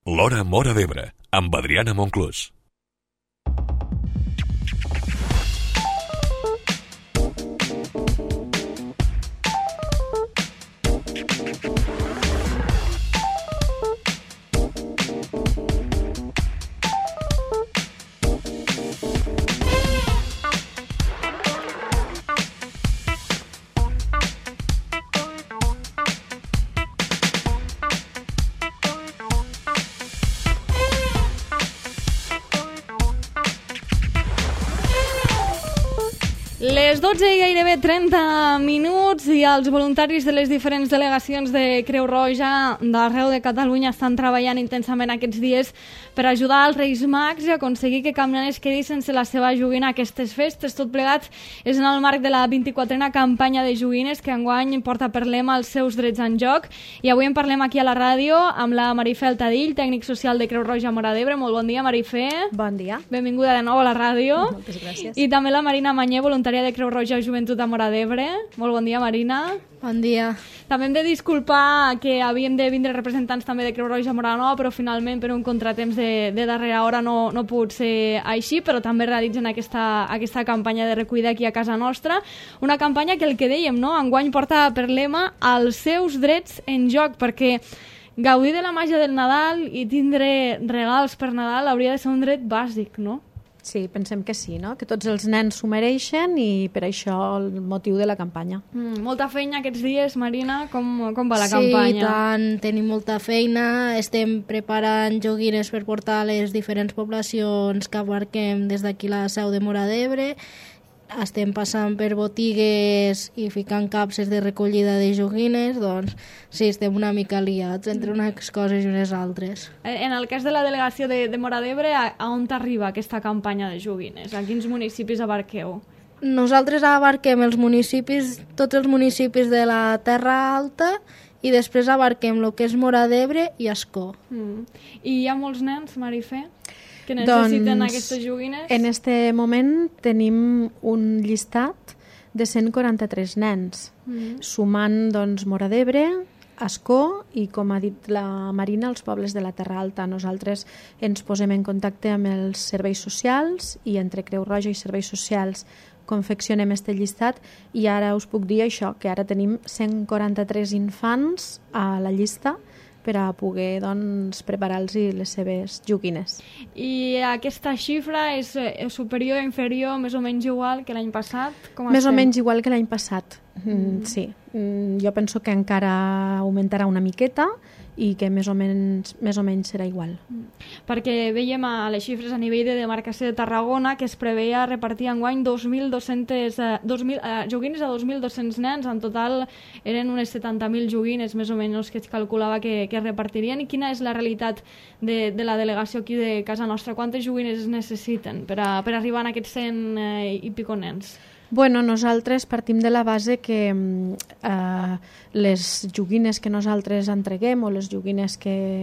L'Hora Móra d'Ebre, amb Adriana Monclús. Les 12 i gairebé 30 minuts i els voluntaris de les diferents delegacions de Creu Roja d'arreu de Catalunya estan treballant intensament aquests dies per ajudar els Reis Mags i aconseguir que cap nen es quedi sense la seva joguina a aquestes festes. Tot plegat és en el marc de la 24a campanya de joguines que enguany porta per lema els seus drets en joc. I avui en parlem aquí a la ràdio amb la Marifé Altadill, tècnic social de Creu Roja Móra d'Ebre. Molt bon dia, Marifé. Bon dia. Benvinguda de nou a la ràdio. Moltes gràcies. I també la Marina Manyer, voluntària de Creu Roja Joventut a Móra d'Ebre. Molt bon dia, Marina. Bon dia. També hem de disculpar que havíem de vindre representants també de Creu Roja Móra Nova, però finalment per un contratemps de darrera hora no ha pogut ser així, però també realitzen aquesta campanya de recuida aquí a casa nostra. Una campanya que el que dèiem, no? Enguany porta per lema els seus drets en joc, perquè gaudir de la màgia del Nadal i tindre regals per Nadal hauria de ser un dret bàsic, no? Sí, pensem que sí, no? Que tots els nens s'ho mereixen i per això el motiu de la campanya. Molta feina aquests dies, Marina. Com va la Sí, campanya? tant, tenim molta feina. Estem preparant joguines per portar a les diferents poblacions que abarquem des d'aquí la seu de Móra d'Ebre. Estem passant per botigues i ficant capses de recollida de joguines, doncs sí, estem una mica liats entre unes coses i unes altres. En el cas de la delegació de Móra d'Ebre, a on t'arriba aquesta campanya de joguines? A quins municipis abarqueu? Nosaltres abarquem tots els municipis de la Terra Alta i després abarquem el que és Móra d'Ebre i Ascó. I hi ha molts nens, Marifé, que necessiten aquestes joguines? En este moment tenim un llistat de 143 nens, sumant Móra d'Ebre, Ascó i, com ha dit la Marina, els pobles de la Terra Alta. Nosaltres ens posem en contacte amb els serveis socials i entre Creu Roja i serveis socials confeccionem este llistat i ara us puc dir això, que ara tenim 143 infants a la llista per a poder preparar-los les seves joguines. I aquesta xifra és superior o inferior, més o menys igual que l'any passat? Més o menys igual que l'any passat, sí. Jo penso que encara augmentarà una miqueta i que més o menys serà igual. Perquè veiem a les xifres a nivell de demarcació de Tarragona que es preveia repartir enguany 2.200 joguines a 2.200 nens. En total eren unes 70.000 joguines més o menys que es calculava que es repartirien. I quina és la realitat de la delegació aquí de casa nostra? Quantes joguines es necessiten per arribar a aquests 100 i pico nens? Bueno, nosaltres partim de la base que les joguines que nosaltres entreguem o les joguines que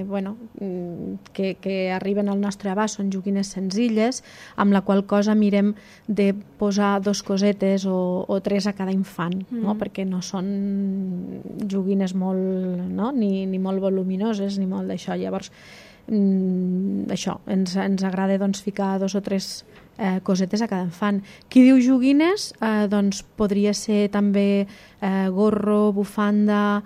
arriben al nostre abast són joguines senzilles, amb la qual cosa mirem de posar 2 cosetes o 3 a cada infant, no? Perquè no són joguines molt, no? ni molt voluminoses ni molt d'això. Llavors, això, ens agrada ficar 2 o 3 cosetes a cada infant. Qui diu joguines, podria ser també gorro, bufanda,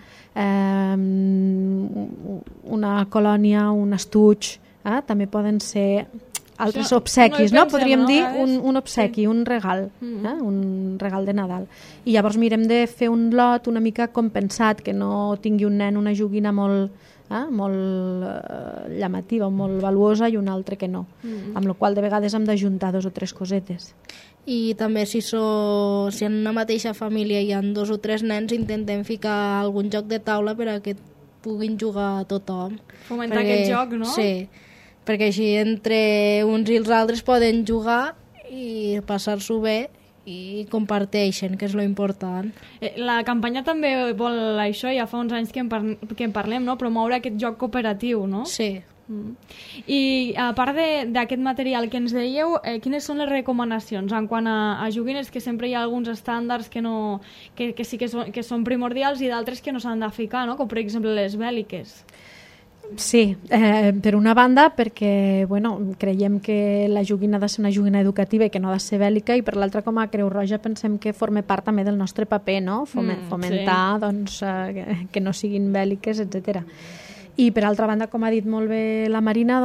una colònia, un estuig, també poden ser altres obsequis, no? Podríem dir un obsequi, un regal, un regal de Nadal. I llavors mirem de fer un lot una mica compensat, que no tingui un nen una joguina molt llamativa, molt valuosa i un altre que no, amb la qual de vegades hem d'ajuntar 2 o 3 cosetes. I també si en una mateixa família hi ha 2 o 3 nens, intentem ficar algun joc de taula per a que puguin jugar tothom. Fomentar aquest joc, no? Sí, perquè així entre uns i els altres poden jugar i passar-s'ho bé i comparteixen, que és lo important. La campanya també vol això, ja fa uns anys que en parlem, no? Promoure aquest joc cooperatiu, no? Sí. I a part d'aquest material que ens dèieu, quines són les recomanacions en quant a joguines? Que sempre hi ha alguns estàndards que sí que són primordials i d'altres que no s'han de ficar, no? Com per exemple les bèl·liques. Sí, per una banda perquè creiem que la joguina ha de ser una joguina educativa i que no ha de ser bèl·lica, i per l'altra, com a Creu Roja, pensem que forma part també del nostre paper, no? Fomentar que no siguin bèl·liques, etc. I per altra banda, com ha dit molt bé la Marina,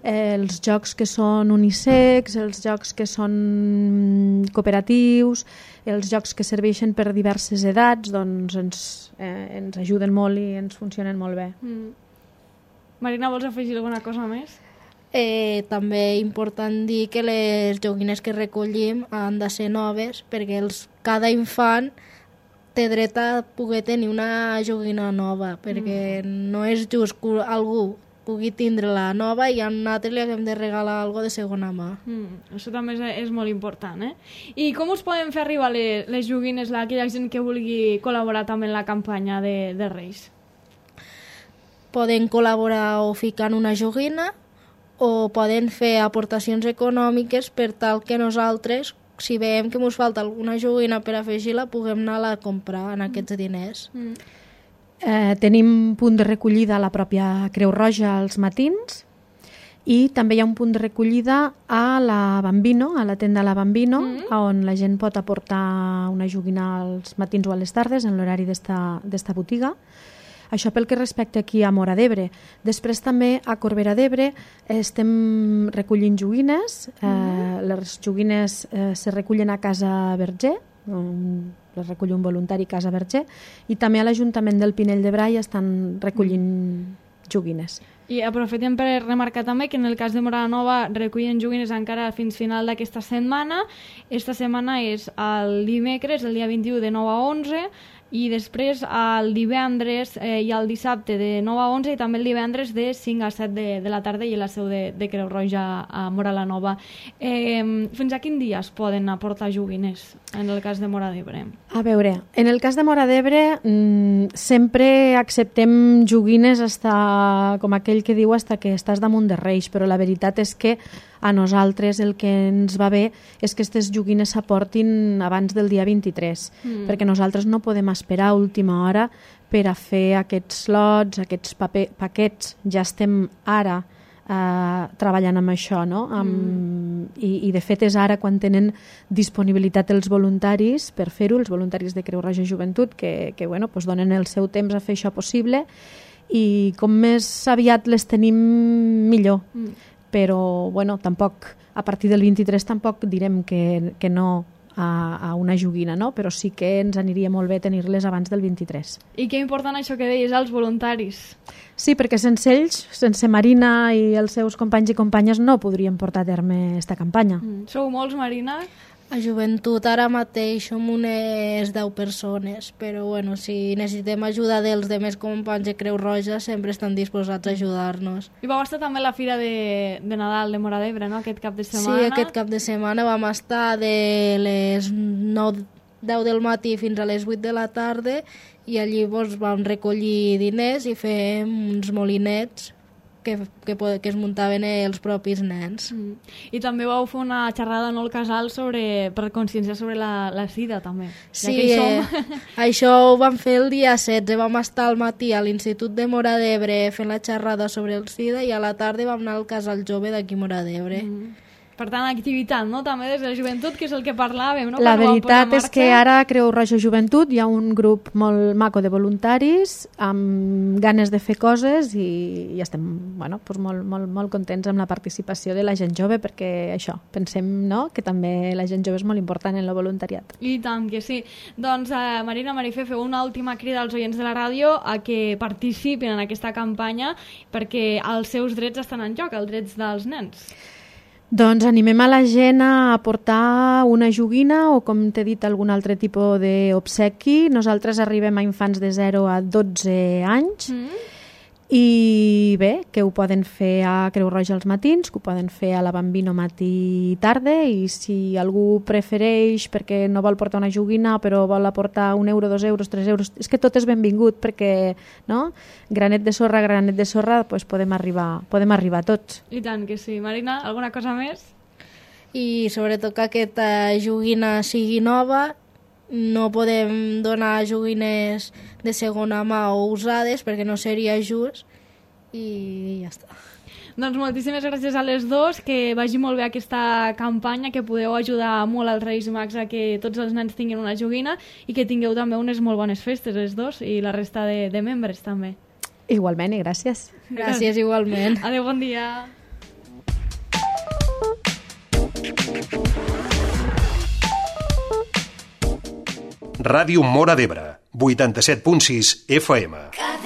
els jocs que són unisex, els jocs que són cooperatius, els jocs que serveixen per diverses edats, ens ajuden molt i ens funcionen molt bé. Marina, vols afegir alguna cosa més? També important dir que les joguines que recollim han de ser noves, perquè cada infant té dret a poder tenir una joguina nova, perquè no és just que algú pugui tindre la nova i a un altre li haguem de regalar alguna de segona mà. Això també és molt important, eh? I com us poden fer arribar les joguines a aquella gent que vulgui col·laborar també en la campanya de Reis? Poden col·laborar o ficant una joguina o poden fer aportacions econòmiques per tal que nosaltres, si veiem que ens falta alguna joguina per afegir-la, puguem anar a comprar en aquests diners. Tenim punt de recollida a la pròpia Creu Roja als matins, i també hi ha un punt de recollida a la Bambino, a la tenda La Bambino, on la gent pot aportar una joguina als matins o a les tardes en l'horari d'esta botiga. Això pel que respecta aquí a Móra d'Ebre. Després també a Corbera d'Ebre estem recollint joguines. Les joguines se recullen a Casa Verger, les recull un voluntari Casa Verger, i també a l'Ajuntament del Pinell de Brai estan recollint joguines. I aprofitem per remarcar també que en el cas de Móra la Nova recullen joguines encara fins final d'aquesta setmana. Esta setmana és el dimecres, el dia 21 de 9 a 11, i després el divendres i el dissabte de 9 a 11 i també el divendres de 5 a 7 de la tarda i a la seu de Creu Roja a Móra la Nova. Fins a quin dia es poden aportar joguines en el cas de Móra d'Ebre? A veure, en el cas de Móra d'Ebre sempre acceptem joguines com aquell que diu hasta que estàs damunt de Reis, però la veritat és que a nosaltres el que ens va bé és que aquestes joguines s'aportin abans del dia 23, perquè nosaltres no podem esperar a última hora per a fer aquests lots, aquests paquets. Ja estem ara treballant amb això, no? I de fet és ara quan tenen disponibilitat els voluntaris per fer-ho, els voluntaris de Creu Roja Joventut, que donen el seu temps a fer això possible, i com més aviat les tenim millor. Però tampoc, a partir del 23 tampoc direm que no a una joguina, no? Però sí que ens aniria molt bé tenir-les abans del 23. I que important això que deies, els voluntaris. Sí, perquè sense ells, sense Marina i els seus companys i companyes, no podríem portar a terme aquesta campanya. Sou molts, Marina? A Joventut ara mateix som unes 10 persones, però si necessitem ajuda dels demés companys de Creu Roja sempre estan disposats a ajudar-nos. I vau estar també a la Fira de Nadal de Móra d'Ebre, no?, aquest cap de setmana. Sí, aquest cap de setmana vam estar de les 9-10 del matí fins a les 8 de la tarda, i allí vam recollir diners i fem uns molinets que es muntaven els propis nens. I també vau fer una xerrada al casal per conscienciar sobre la sida, també. Sí, això ho vam fer el dia 16. Vam estar al matí a l'Institut de Móra d'Ebre fent la xerrada sobre el sida, i a la tarda vam anar al casal jove d'aquí Móra d'Ebre. Per tant, activitat, no?, també des de la joventut, que és el que parlàvem, no? La veritat és que ara a Creu Roja Joventut hi ha un grup molt maco de voluntaris amb ganes de fer coses, i estem molt contents amb la participació de la gent jove, perquè això, pensem, no?, que també la gent jove és molt important en el voluntariat. I tant que sí. Doncs, Marina, Marifé, feu una última crida als oients de la ràdio a que participin en aquesta campanya, perquè els seus drets estan en joc, els drets dels nens. Doncs animem a la gent a aportar una joguina o, com t'he dit, algun altre tipus d'obsequi. Nosaltres arribem a infants de 0 a 12 anys. I bé, que ho poden fer a Creu Roja als matins, que ho poden fer a la Bambino matí i tarda, i si algú prefereix perquè no vol portar una joguina però vol aportar 1 euro, 2 euros, 3 euros, és que tot és benvingut, perquè granet de sorra, doncs podem arribar tots. I tant que sí. Marina, alguna cosa més? I sobretot que aquesta joguina sigui nova. No podem donar joguines de segona mà o usades perquè no seria just, i ja està. Doncs moltíssimes gràcies a les dos, que vagi molt bé aquesta campanya, que podeu ajudar molt als Reis Mags a que tots els nens tinguin una joguina i que tingueu també unes molt bones festes, les dos, i la resta de membres també. Igualment, i gràcies. Gràcies igualment. Adéu, bon dia. Ràdio Móra d'Ebre, 87.6 FM.